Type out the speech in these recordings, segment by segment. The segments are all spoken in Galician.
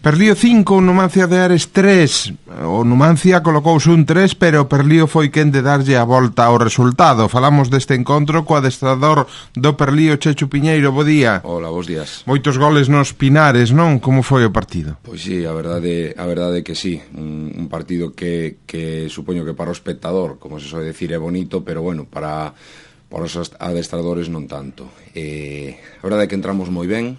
Perlío 5, Numancia de Ares 3. O Numancia colocouse un 3, pero Perlío foi quen de darlle a volta ao resultado. Falamos deste encontro co adestrador do Perlío, Chechu Piñeiro. Bo día. Hola, bos días. Moitos goles nos Pinares, non? Como foi o partido? Pois sí, a verdade é que sí. Un partido que supoño que para o espectador, como se soe decir, é bonito, pero bueno, para os adestradores non tanto. A verdade é que entramos moi ben,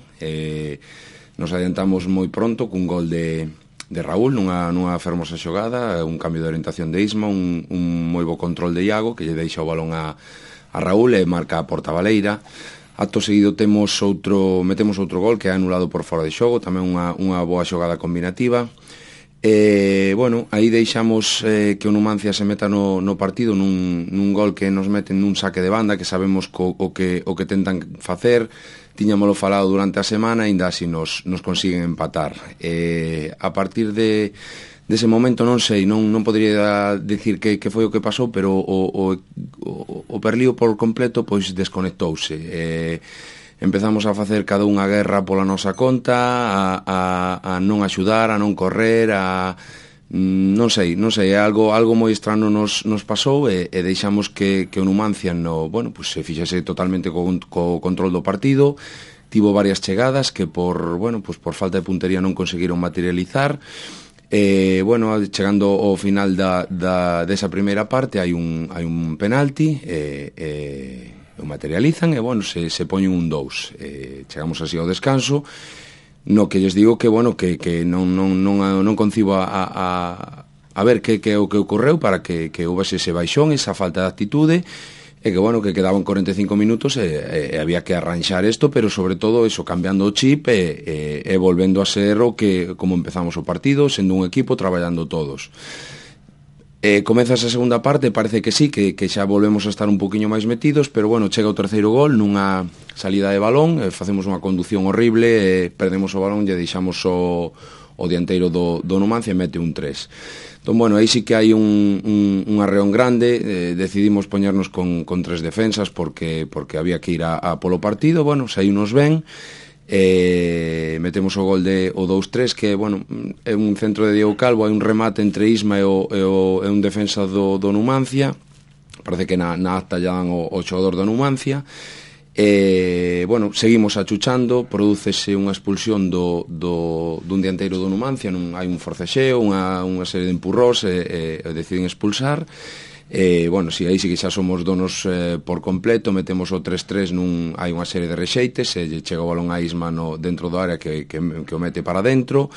nos adiantamos moi pronto cun gol de Raúl nunha fermosa xogada, un cambio de orientación de Isma, un moi bo control de Iago que lle deixa o balón a Raúl e marca a porta baleira. Acto seguido metemos outro gol que é anulado por fora de xogo, tamén unha boa xogada combinativa. Bueno, aí deixamos que o Numancia se meta no partido nun gol que nos meten nun saque de banda, que sabemos o que tentan facer. Tiñamolo falado durante a semana, ainda así nos consiguen empatar. A partir dese momento non sei, non podería dicir que foi o que pasou, pero o Perlío por completo pois desconectouse. Empezamos a facer cada unha guerra pola nosa conta, a non axudar, a non correr, non sei, algo moi estrano nos pasou e deixamos que o Numancia se fixase totalmente co control do partido. Tivo varias chegadas que por falta de puntería non conseguiron materializar. Chegando ao final desa primeira parte hai un penalti o materializan e se poñen un 2. Chegamos así ao descanso, no que lles digo que non concibo a ver que o que ocorreu para que houbese ese baixón, esa falta de actitude, e que quedaban 45 minutos e había que arranxar isto, pero sobre todo eso, cambiando o chip e volvendo a ser como empezamos o partido, sendo un equipo, traballando todos. Comeza esa segunda parte, parece que sí, que xa volvemos a estar un poquinho máis metidos, pero chega o terceiro gol nunha salida de balón, facemos unha conducción horrible, perdemos o balón e deixamos o dianteiro do Numancia e mete un 3. Entón, aí sí que hai un arreón grande, decidimos poñernos con 3 defensas porque había que ir a polo partido, saíunos ben, metemos o gol o 2-3 que, é un centro de Diego Calvo, hai un remate entre Isma e un defensa do Numancia, parece que na acta ya dan o xogador do Numancia. Seguimos achuchando, prodúcese unha expulsión dun dianteiro do Numancia, hai un forcexeo, unha serie de empurrós e deciden expulsar. Aí sí que xa somos donos por completo, metemos o 3-3 hai unha serie de rexeites, chega o balón a Isma dentro do área que o mete para dentro.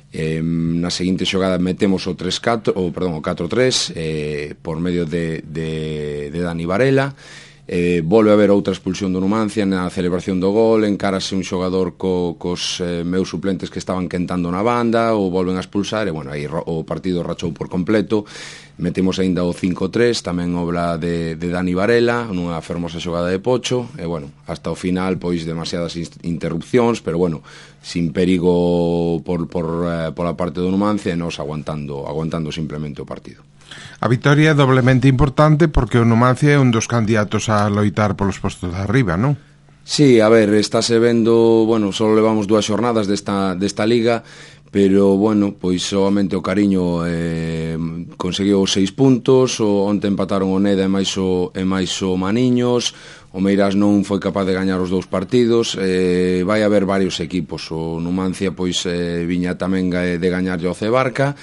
Na seguinte xogada metemos o 4-3 por medio de Dani Varela. Volve a haber outra expulsión do Numancia na celebración do gol, encárase un xogador cos meus suplentes que estaban quentando na banda, o volven a expulsar e aí o partido rachou por completo. Metemos aínda o 5-3, tamén obra de Dani Varela, nunha fermosa xogada de Pocho, e hasta o final pois demasiadas interrupcións, pero sin perigo pola parte do Numancia e nos aguantando simplemente o partido. A vitoria é doblemente importante porque o Numancia é un dos candidatos a loitar polos postos de arriba, non? Sí, a ver, estáse vendo, só levamos 2 xornadas desta liga, pero, pois solamente o Cariño conseguiu 6 puntos, onte empataron o Neda e máis o Maniños, o Meirás non foi capaz de gañar os 2 partidos, vai haber varios equipos, o Numancia pois viña tamén de gañarlle ao Cebarca.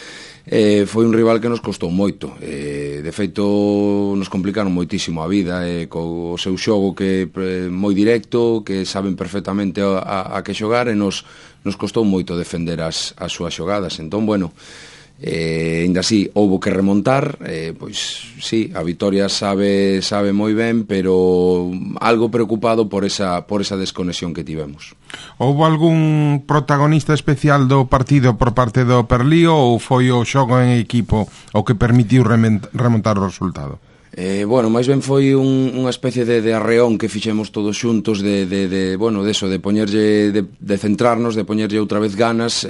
Foi un rival que nos costou moito, de feito nos complicaron moitísimo a vida, co seu xogo que moi directo, que saben perfectamente a que xogar, e nos costou moito defender as súas xogadas. Entón, ainda así houbo que remontar, pois sí, a vitoria sabe moi ben, pero algo preocupado por esa desconexión que tivemos. Houbo algún protagonista especial do partido por parte do Perlío ou foi o xogo en equipo o que permitiu remontar o resultado? Bueno, máis ben foi unha especie de arreón que fixemos todos xuntos de poñerlle, de centrarnos, de poñerlle outra vez ganas,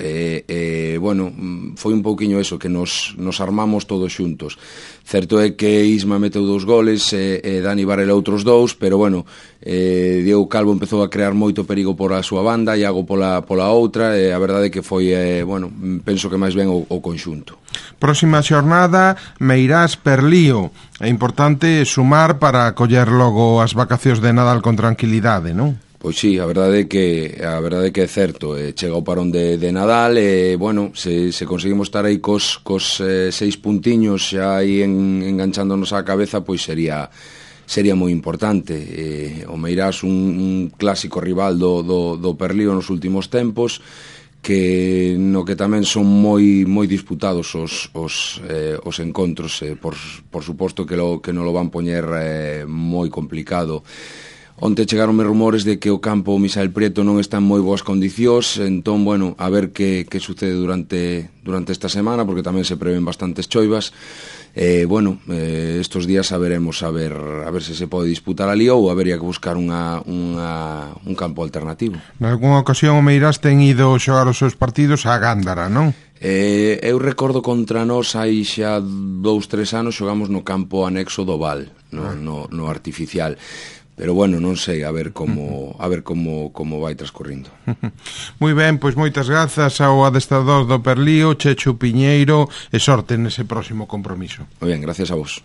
bueno, foi un pouquiño eso, que nos armamos todos xuntos. Certo é que Isma meteu 2 goles, Dani Varela outros 2, pero bueno, Diego Calvo empezou a crear moito perigo por a súa banda, Iago pola outra, e a verdade é que foi, bueno, penso que máis ben o conxunto. Próxima xornada, Meirás Perlío. É importante sumar para coller logo as vacacións de Nadal con tranquilidade, non? Pois sí, a verdade é que é certo, chega o parón de Nadal, e bueno, se conseguimos estar aí cos 6 puntiños xa aí enganchándonos á cabeza, pois sería moi importante. O Meirás un clásico rival do Perlío nos últimos tempos, que no que tamén son moi disputados os encontros, por suposto que non lo van poñer moi complicado. Onte chegaronme rumores de que o campo Misael Prieto non está en moi boas condicións, entón, bueno, a ver que sucede durante esta semana, porque tamén se prevén bastantes choivas. Bueno, estos días saberemos a ver se pode disputar ali, ou habería que buscar un campo alternativo. Nalgúnha ocasión o Meirás ten ido xogar os seus partidos a Gándara, non? Eu recordo contra nós hai xa 2-3 anos xogamos no campo anexo do Val, no artificial. Pero bueno, non sei, a ver como vai transcorrindo. Moi ben, pois moitas grazas ao adestrador do Perlío, Chechu Piñeiro, e sorte nese próximo compromiso. Moi ben, gracias a vos.